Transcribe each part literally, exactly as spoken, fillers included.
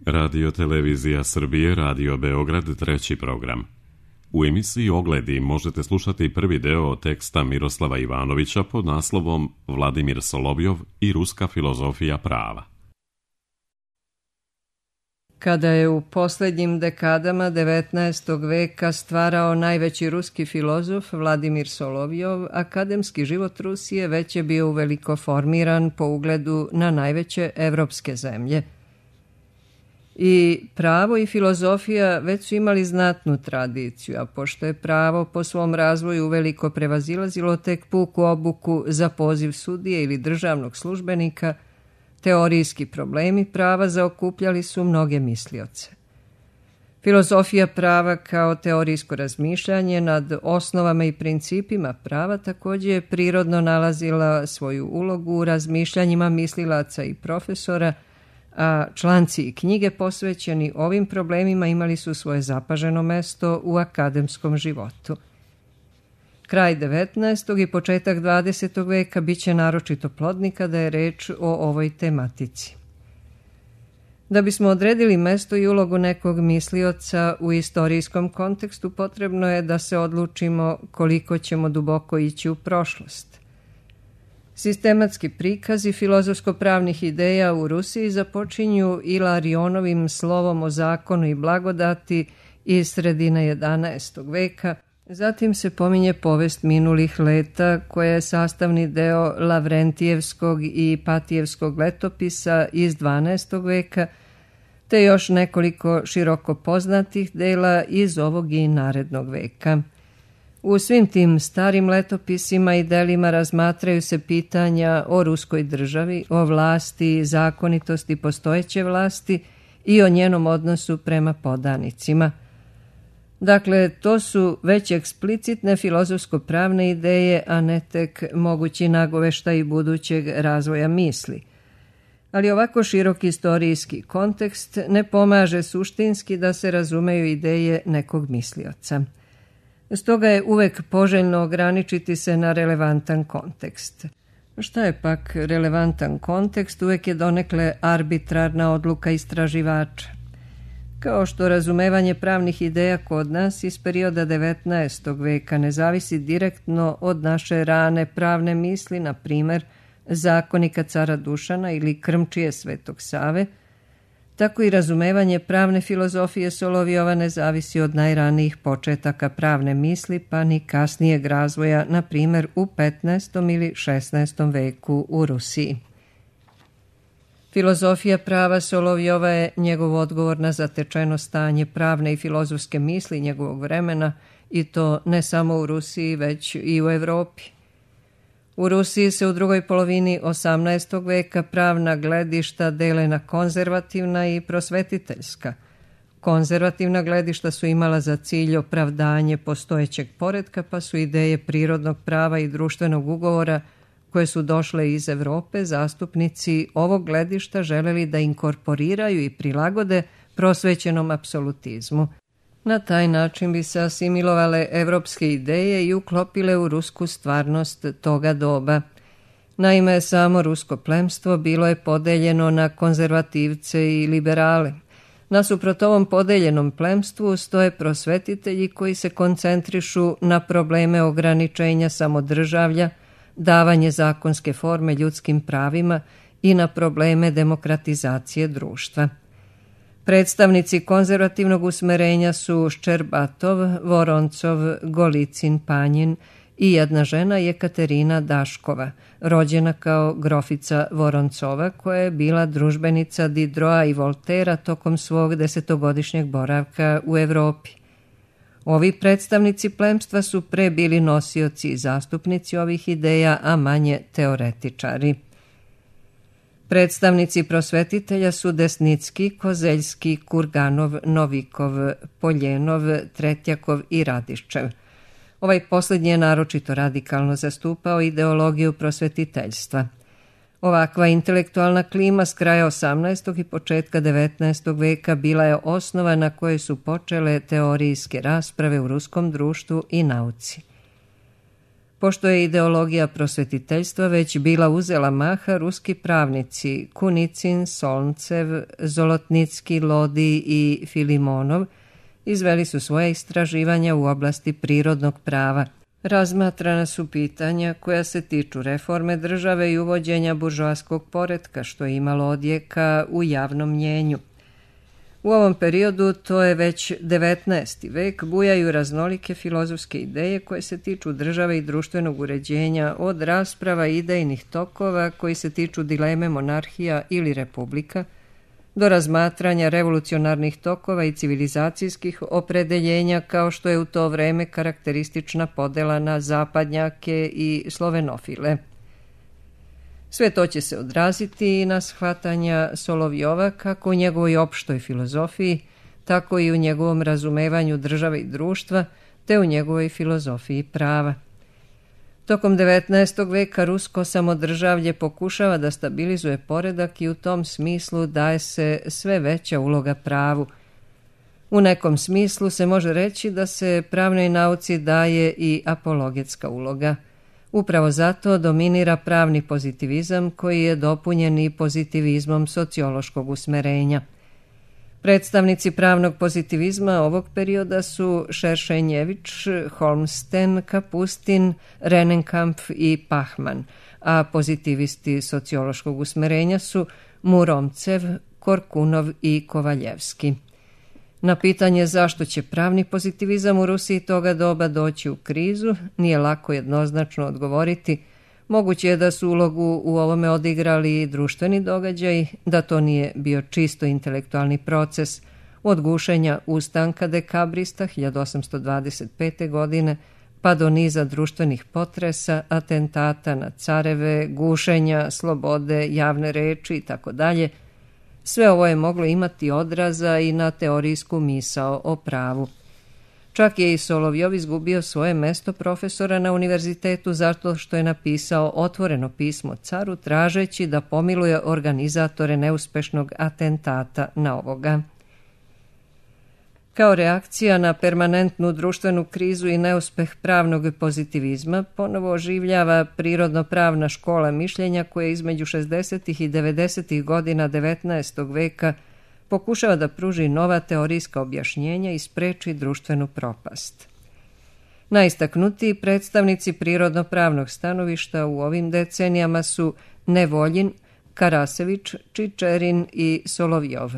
Radio Televizija Srbije, Radio Beograd, treći program. U emisiji Ogledi možete slušati prvi deo teksta Miroslava Ivanovića pod naslovom Vladimir Solovjov i ruska filozofija prava. Kada je u posljednjim dekadama devetnaestog veka stvarao najveći ruski filozof Vladimir Solovjov, akademski život Rusije već je bio uveliko formiran po ugledu na najveće evropske zemlje. I pravo i filozofija već su imali znatnu tradiciju, a pošto je pravo po svom razvoju uveliko prevazilazilo tek puku obuku za poziv sudije ili državnog službenika, teorijski problemi prava zaokupljali su mnoge mislioce. Filozofija prava kao teorijsko razmišljanje nad osnovama i principima prava također je prirodno nalazila svoju ulogu u razmišljanjima mislilaca i profesora, a članci i knjige posvećeni ovim problemima imali su svoje zapaženo mesto u akademskom životu. Kraj devetnaestog i početak dvadesetog veka bit će naročito plodni kada je reč o ovoj tematici. Da bismo odredili mesto i ulogu nekog mislioca u istorijskom kontekstu, potrebno je da se odlučimo koliko ćemo duboko ići u prošlost. Sistematski prikazi filozofsko-pravnih ideja u Rusiji započinju Ilarionovim slovom o zakonu i blagodati iz sredine jedanaestog veka, zatim se pominje povest minulih leta koja je sastavni deo Lavrentijevskog i Patijevskog letopisa iz dvanaestog veka, te još nekoliko široko poznatih dela iz ovog i narednog veka. U svim tim starim letopisima i delima razmatraju se pitanja o ruskoj državi, o vlasti, zakonitosti postojeće vlasti i o njenom odnosu prema podanicima. Dakle, to su već eksplicitne filozofsko-pravne ideje, a ne tek mogući nagoveštaj budućeg razvoja misli. Ali ovako širok istorijski kontekst ne pomaže suštinski da se razumeju ideje nekog mislioca. Stoga je uvek poželjno ograničiti se na relevantan kontekst. Šta je pak relevantan kontekst? Uvek je donekle arbitrarna odluka istraživača. Kao što razumevanje pravnih ideja kod nas iz perioda devetnaestog veka ne zavisi direktno od naše rane pravne misli, na primer zakonika cara Dušana ili krmčije Svetog Save, tako i razumevanje pravne filozofije Solovjova ne zavisi od najranijih početaka pravne misli, pa ni kasnijeg razvoja, na primjer u petnaestom ili šesnaestom veku u Rusiji. Filozofija prava Solovjova je njegov odgovor na zatečeno stanje pravne i filozofske misli njegovog vremena, i to ne samo u Rusiji, već i u Evropi. U Rusiji se u drugoj polovini osamnaestog veka pravna gledišta dele na konzervativna i prosvetiteljska. Konzervativna gledišta su imala za cilj opravdanje postojećeg poretka, pa su ideje prirodnog prava i društvenog ugovora koje su došle iz Evrope, zastupnici ovog gledišta želeli da inkorporiraju i prilagode prosvećenom apsolutizmu. Na taj način bi se asimilovale evropske ideje i uklopile u rusku stvarnost toga doba. Naime, samo rusko plemstvo bilo je podeljeno na konzervativce i liberale. Nasuprot ovom podeljenom plemstvu stoje prosvetitelji koji se koncentrišu na probleme ograničenja samodržavlja, davanje zakonske forme ljudskim pravima i na probleme demokratizacije društva. Predstavnici konzervativnog usmerenja su Ščerbatov, Voroncov, Golicin, Panjin i jedna žena Jekaterina Daškova, rođena kao grofica Voroncova, koja je bila družbenica Diderota i Voltera tokom svog desetogodišnjeg boravka u Evropi. Ovi predstavnici plemstva su pre bili nosioci i zastupnici ovih ideja, a manje teoretičari. Predstavnici prosvetitelja su Desnicki, Kozeljski, Kurganov, Novikov, Poljenov, Tretjakov i Radiščev. Ovaj posljednji je naročito radikalno zastupao ideologiju prosvetiteljstva. Ovakva intelektualna klima s kraja osamnaestog i početka devetnaestog veka bila je osnova na kojoj su počele teorijske rasprave u ruskom društvu i nauci. Pošto je ideologija prosvetiteljstva već bila uzela maha, ruski pravnici Kunicin, Solncev, Zolotnicki, Lodi i Filimonov izveli su svoje istraživanja u oblasti prirodnog prava. Razmatrana su pitanja koja se tiču reforme države i uvođenja buržoaskog poretka, što je imalo odjeka u javnom mnjenju. U ovom periodu, to je već devetnaesti vek, bujaju raznolike filozofske ideje koje se tiču države i društvenog uređenja, od rasprava idejnih tokova koji se tiču dileme monarhija ili republika, do razmatranja revolucionarnih tokova i civilizacijskih opredeljenja, kao što je u to vreme karakteristična podela na zapadnjake i slovenofile. Sve to će se odraziti i na shvatanja Solovjova kako u njegovoj opštoj filozofiji, tako i u njegovom razumevanju države i društva, te u njegovoj filozofiji prava. Tokom devetnaestog veka rusko samodržavlje pokušava da stabilizuje poredak i u tom smislu daje se sve veća uloga pravu. U nekom smislu se može reći da se pravnoj nauci daje i apologetska uloga. Upravo zato dominira pravni pozitivizam koji je dopunjen i pozitivizmom sociološkog usmerenja. Predstavnici pravnog pozitivizma ovog perioda su Šeršenjević, Holmsten, Kapustin, Rennenkampf i Pachman, a pozitivisti sociološkog usmerenja su Muromcev, Korkunov i Kovaljevski. Na pitanje zašto će pravni pozitivizam u Rusiji toga doba doći u krizu, nije lako jednoznačno odgovoriti. Moguće je da su ulogu u ovome odigrali i društveni događaj, da to nije bio čisto intelektualni proces, od gušenja ustanka dekabrista hiljadu osamsto dvadeset pete. godine pa do niza društvenih potresa, atentata na careve, gušenja, slobode, javne reči itd. Sve ovo je moglo imati odraza i na teorijsku misao o pravu. Čak je i Solovjov izgubio svoje mesto profesora na univerzitetu zato što je napisao otvoreno pismo caru tražeći da pomiluje organizatore neuspešnog atentata na ovoga. Kao reakcija na permanentnu društvenu krizu i neuspeh pravnog pozitivizma ponovo oživljava prirodno-pravna škola mišljenja koja između šezdesetih i devedesetih godina devetnaestog veka pokušava da pruži nova teorijska objašnjenja i spreči društvenu propast. Najistaknutiji predstavnici prirodno-pravnog stanovišta u ovim decenijama su Nevoljin, Karasević, Čičerin i Solovjov.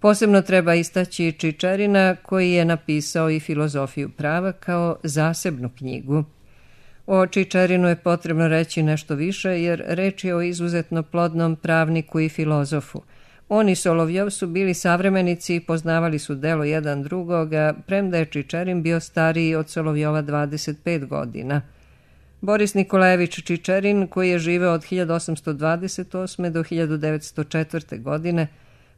Posebno treba istaći Čičerina koji je napisao i filozofiju prava kao zasebnu knjigu. O Čičerinu je potrebno reći nešto više jer reč je o izuzetno plodnom pravniku i filozofu. On i Solovjov su bili savremenici i poznavali su delo jedan drugoga, premda je Čičerin bio stariji od Solovjova dvadeset pet godina. Boris Nikolajević Čičerin, koji je živeo od hiljadu osamsto dvadeset osme. do hiljadu devetsto četvrte. godine,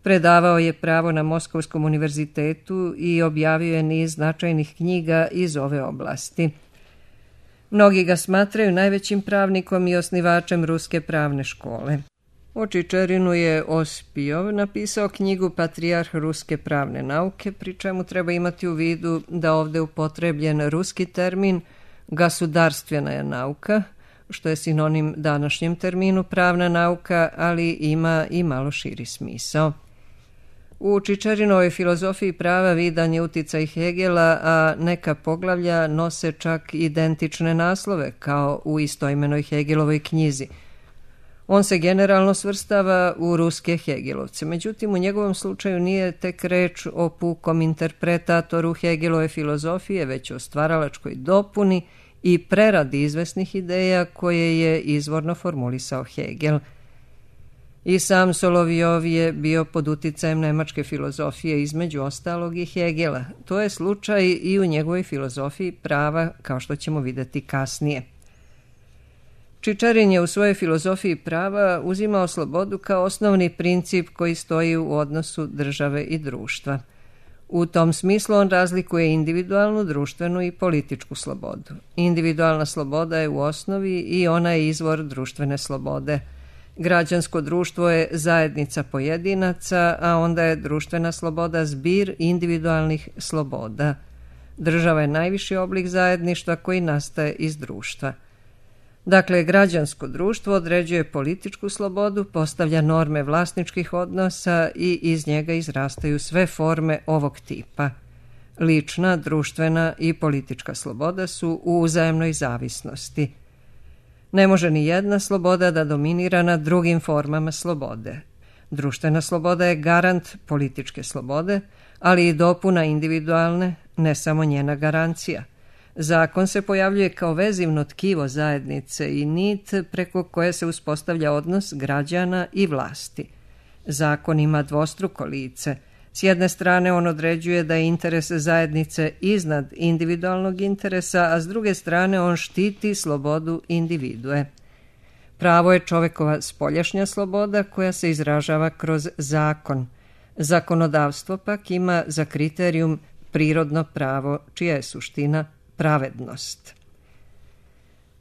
predavao je pravo na Moskovskom univerzitetu i objavio je niz značajnih knjiga iz ove oblasti. Mnogi ga smatraju najvećim pravnikom i osnivačem ruske pravne škole. O Čičerinu je Ospijov napisao knjigu Patrijarh ruske pravne nauke, pri čemu treba imati u vidu da ovde upotrebljen ruski termin gasudarstvena je nauka, što je sinonim današnjem terminu pravna nauka, ali ima i malo širi smisao. U Čičerinovoj filozofiji prava vidan je uticaj Hegela, a neka poglavlja nose čak identične naslove kao u istoimenoj Hegelovoj knjizi. On se generalno svrstava u ruske Hegelovce, međutim u njegovom slučaju nije tek reč o pukom interpretatoru Hegelove filozofije, već o stvaralačkoj dopuni i preradi izvesnih ideja koje je izvorno formulisao Hegel. I sam Solovjov je bio pod uticajem nemačke filozofije, između ostalog i Hegela. To je slučaj i u njegovoj filozofiji prava, kao što ćemo vidjeti kasnije. Čičerin je u svojoj filozofiji prava uzimao slobodu kao osnovni princip koji stoji u odnosu države i društva. U tom smislu on razlikuje individualnu, društvenu i političku slobodu. Individualna sloboda je u osnovi i ona je izvor društvene slobode. Građansko društvo je zajednica pojedinaca, a onda je društvena sloboda zbir individualnih sloboda. Država je najviši oblik zajedništva koji nastaje iz društva. Dakle, građansko društvo određuje političku slobodu, postavlja norme vlasničkih odnosa i iz njega izrastaju sve forme ovog tipa. Lična, društvena i politička sloboda su u uzajamnoj zavisnosti. Ne može ni jedna sloboda da dominira nad drugim formama slobode. Društvena sloboda je garant političke slobode, ali i dopuna individualne, ne samo njena garancija. Zakon se pojavljuje kao vezivno tkivo zajednice i nit preko koje se uspostavlja odnos građana i vlasti. Zakon ima dvostruko lice. S jedne strane on određuje da je interes zajednice iznad individualnog interesa, a s druge strane on štiti slobodu individue. Pravo je čovekova spoljašnja sloboda koja se izražava kroz zakon. Zakonodavstvo pak ima za kriterijum prirodno pravo, čija je suština pravednost.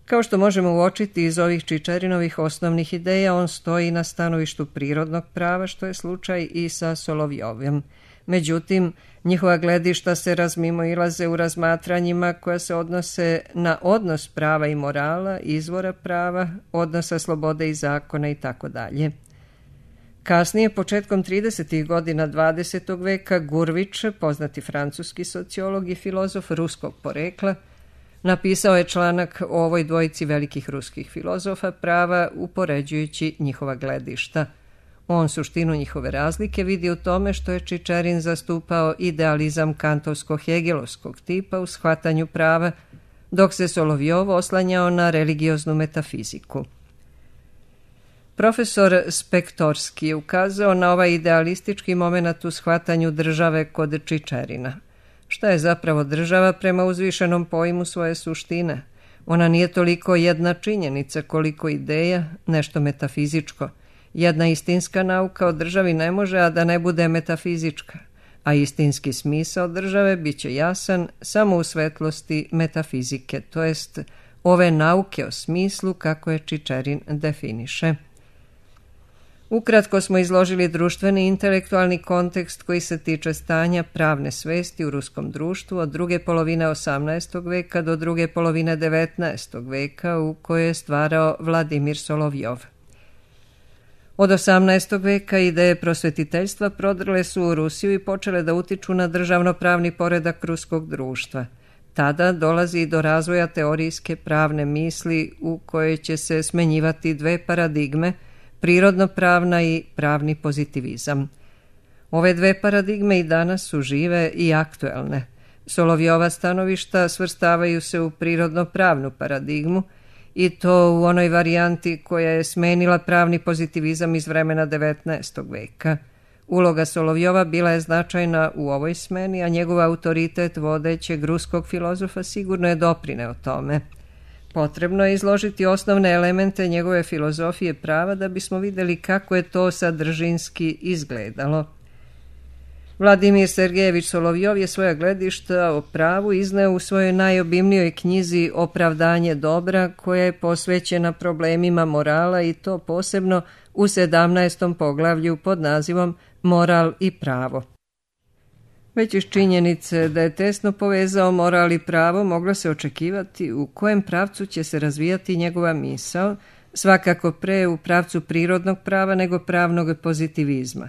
Kao što možemo uočiti iz ovih Čičerinovih osnovnih ideja, on stoji na stanovištu prirodnog prava, što je slučaj i sa Solovjovim. Međutim, njihova gledišta se razmimoilaze u razmatranjima koja se odnose na odnos prava i morala, izvora prava, odnosa slobode i zakona itd. Kasnije, početkom tridesetih godina dvadesetog veka, Gurvić, poznati francuski sociolog i filozof ruskog porekla, napisao je članak o ovoj dvojici velikih ruskih filozofa prava upoređujući njihova gledišta. On suštinu njihove razlike vidi u tome što je Čičerin zastupao idealizam kantovsko-hegelovskog tipa u shvatanju prava, dok se Solovjov oslanjao na religioznu metafiziku. Profesor Spektorski je ukazao na ovaj idealistički moment u shvatanju države kod Čičerina. Šta je zapravo država prema uzvišenom pojmu svoje suštine? Ona nije toliko jedna činjenica koliko ideja, nešto metafizičko. Jedna istinska nauka o državi ne može, a da ne bude metafizička, a istinski smisao države bit će jasan samo u svetlosti metafizike, to jest ove nauke o smislu kako je Čičerin definiše. Ukratko smo izložili društveni intelektualni kontekst koji se tiče stanja pravne svesti u ruskom društvu od druge polovine osamnaestog veka do druge polovine devetnaestog veka u kojoj je stvarao Vladimir Solovjov. Od osamnaestog veka ideje prosvetiteljstva prodrle su u Rusiju i počele da utiču na državno-pravni poredak ruskog društva. Tada dolazi do razvoja teorijske pravne misli u kojoj će se smenjivati dve paradigme, prirodno-pravna i pravni pozitivizam. Ove dve paradigme i danas su žive i aktuelne. Solovjova stanovišta svrstavaju se u prirodno-pravnu paradigmu i to u onoj varijanti koja je smenila pravni pozitivizam iz vremena devetnaestog veka. Uloga Solovjova bila je značajna u ovoj smeni, a njegov autoritet vodećeg ruskog filozofa sigurno je doprineo tome. Potrebno je izložiti osnovne elemente njegove filozofije prava da bismo vidjeli kako je to sadržinski izgledalo. Vladimir Sergejević Solovjov je svoja gledišta o pravu izneo u svojoj najobimnijoj knjizi Opravdanje dobra, koja je posvećena problemima morala i to posebno u sedamnaestom poglavlju pod nazivom Moral i pravo. Već iz činjenice da je tesno povezao moral i pravo moglo se očekivati u kojem pravcu će se razvijati njegova misao, svakako pre u pravcu prirodnog prava nego pravnog pozitivizma.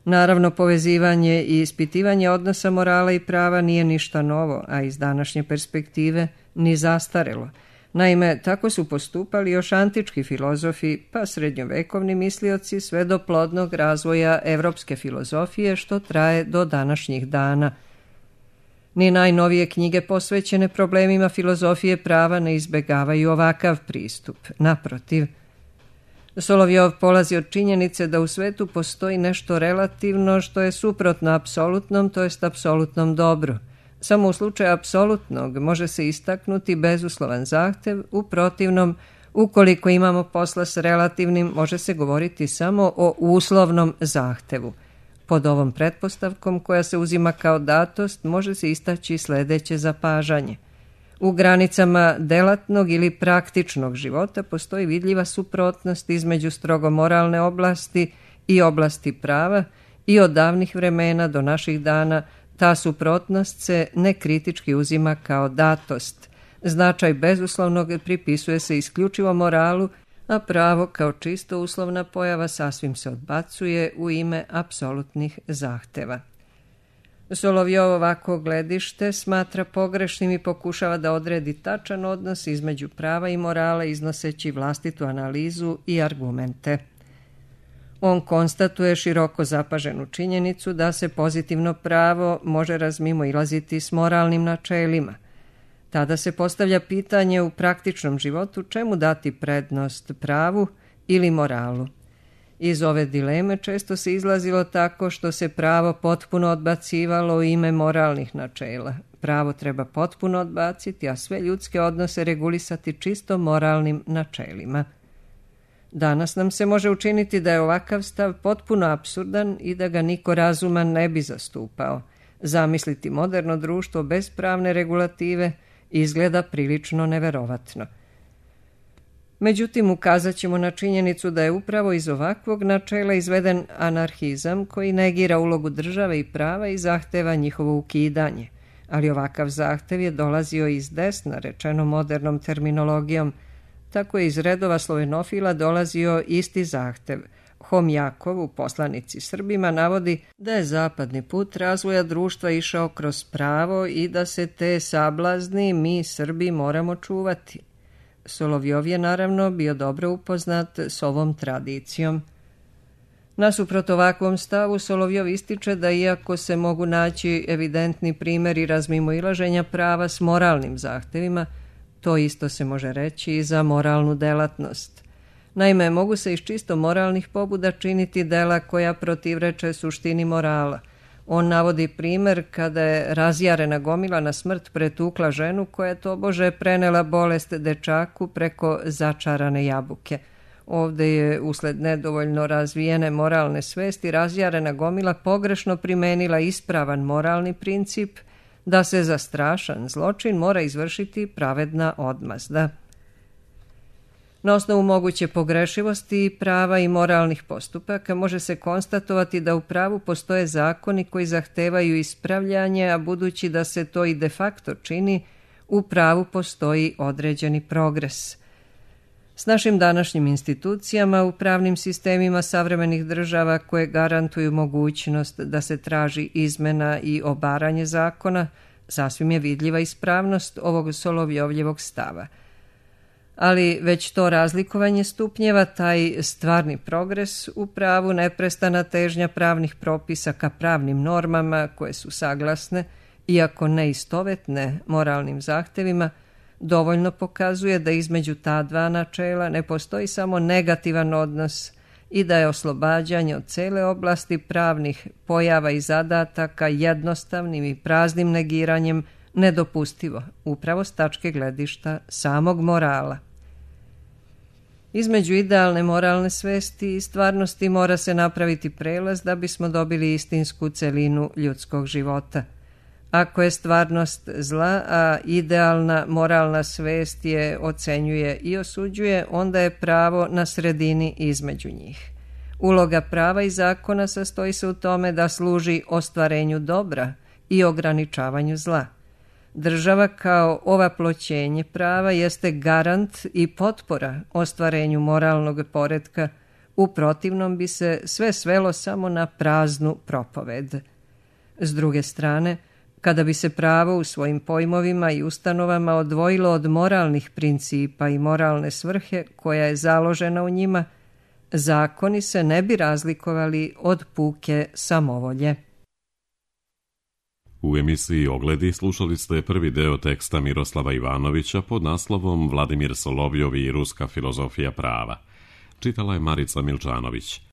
Naravno, povezivanje i ispitivanje odnosa morala i prava nije ništa novo, a iz današnje perspektive ni zastarelo. Naime, tako su postupali još antički filozofi, pa srednjovekovni mislioci sve do plodnog razvoja evropske filozofije što traje do današnjih dana. Ni najnovije knjige posvećene problemima filozofije prava ne izbegavaju ovakav pristup. Naprotiv, Solovjov polazi od činjenice da u svetu postoji nešto relativno što je suprotno apsolutnom, to jest apsolutnom dobru. Samo u slučaju apsolutnog može se istaknuti bezuslovan zahtev, u protivnom, ukoliko imamo posla s relativnim, može se govoriti samo o uslovnom zahtevu. Pod ovom pretpostavkom, koja se uzima kao datost, može se istaći sledeće zapažanje. U granicama delatnog ili praktičnog života postoji vidljiva suprotnost između strogo moralne oblasti i oblasti prava i od davnih vremena do naših dana Ta suprotnost se nekritički uzima kao datost. Značaj bezuslovnog pripisuje se isključivo moralu, a pravo kao čisto uslovna pojava sasvim se odbacuje u ime apsolutnih zahteva. Solovjov ovako gledište smatra pogrešnim i pokušava da odredi tačan odnos između prava i morala iznoseći vlastitu analizu i argumente. On konstatuje široko zapaženu činjenicu da se pozitivno pravo može razmimoilaziti s moralnim načelima. Tada se postavlja pitanje u praktičnom životu čemu dati prednost pravu ili moralu. Iz ove dileme često se izlazilo tako što se pravo potpuno odbacivalo u ime moralnih načela. Pravo treba potpuno odbaciti, a sve ljudske odnose regulisati čisto moralnim načelima. Danas nam se može učiniti da je ovakav stav potpuno apsurdan i da ga niko razuman ne bi zastupao. Zamisliti moderno društvo bez pravne regulative izgleda prilično neverovatno. Međutim, ukazat ćemo na činjenicu da je upravo iz ovakvog načela izveden anarhizam koji negira ulogu države i prava i zahteva njihovo ukidanje. Ali ovakav zahtev je dolazio iz desna, rečeno modernom terminologijom. Tako je iz redova slovenofila dolazio isti zahtev. Homjakov u Poslanici Srbima navodi da je zapadni put razvoja društva išao kroz pravo i da se te sablazni mi Srbi moramo čuvati. Solovjov je naravno bio dobro upoznat s ovom tradicijom. Nasuprot ovakvom stavu, Solovjov ističe da iako se mogu naći evidentni primjeri razmimoilaženja prava s moralnim zahtevima, to isto se može reći i za moralnu delatnost. Naime, mogu se iz čisto moralnih pobuda činiti dela koja protivreče suštini morala. On navodi primjer kada je razjarena gomila na smrt pretukla ženu koja je tobože prenela bolest dečaku preko začarane jabuke. Ovdje je usled nedovoljno razvijene moralne svesti razjarena gomila pogrešno primenila ispravan moralni princip da se za strašan zločin mora izvršiti pravedna odmazda. Na osnovu moguće pogrešivosti prava i moralnih postupaka može se konstatovati da u pravu postoje zakoni koji zahtevaju ispravljanje, a budući da se to i de facto čini, u pravu postoji određeni progres. S našim današnjim institucijama u pravnim sistemima savremenih država koje garantuju mogućnost da se traži izmena i obaranje zakona, sasvim je vidljiva ispravnost ovog Solovjovljevog stava. Ali već to razlikovanje stupnjeva, taj stvarni progres u pravu, neprestana težnja pravnih propisa ka pravnim normama koje su saglasne, iako ne istovetne moralnim zahtevima, dovoljno pokazuje da između ta dva načela ne postoji samo negativan odnos i da je oslobađanje od cele oblasti pravnih pojava i zadataka jednostavnim i praznim negiranjem nedopustivo, upravo s tačke gledišta samog morala. Između idealne moralne svesti i stvarnosti mora se napraviti prelaz da bismo dobili istinsku celinu ljudskog života. Ako je stvarnost zla, a idealna moralna svest je ocenjuje i osuđuje, onda je pravo na sredini između njih. Uloga prava i zakona sastoji se u tome da služi ostvarenju dobra i ograničavanju zla. Država kao ovaploćenje prava jeste garant i potpora ostvarenju moralnog poretka, u protivnom bi se sve svelo samo na praznu propoved. S druge strane, kada bi se pravo u svojim pojmovima i ustanovama odvojilo od moralnih principa i moralne svrhe koja je založena u njima, zakoni se ne bi razlikovali od puke samovolje. U emisiji Ogledi slušali ste prvi deo teksta Miroslava Ivanovića pod naslovom Vladimir Solovjov i ruska filozofija prava. Čitala je Marica Milčanović.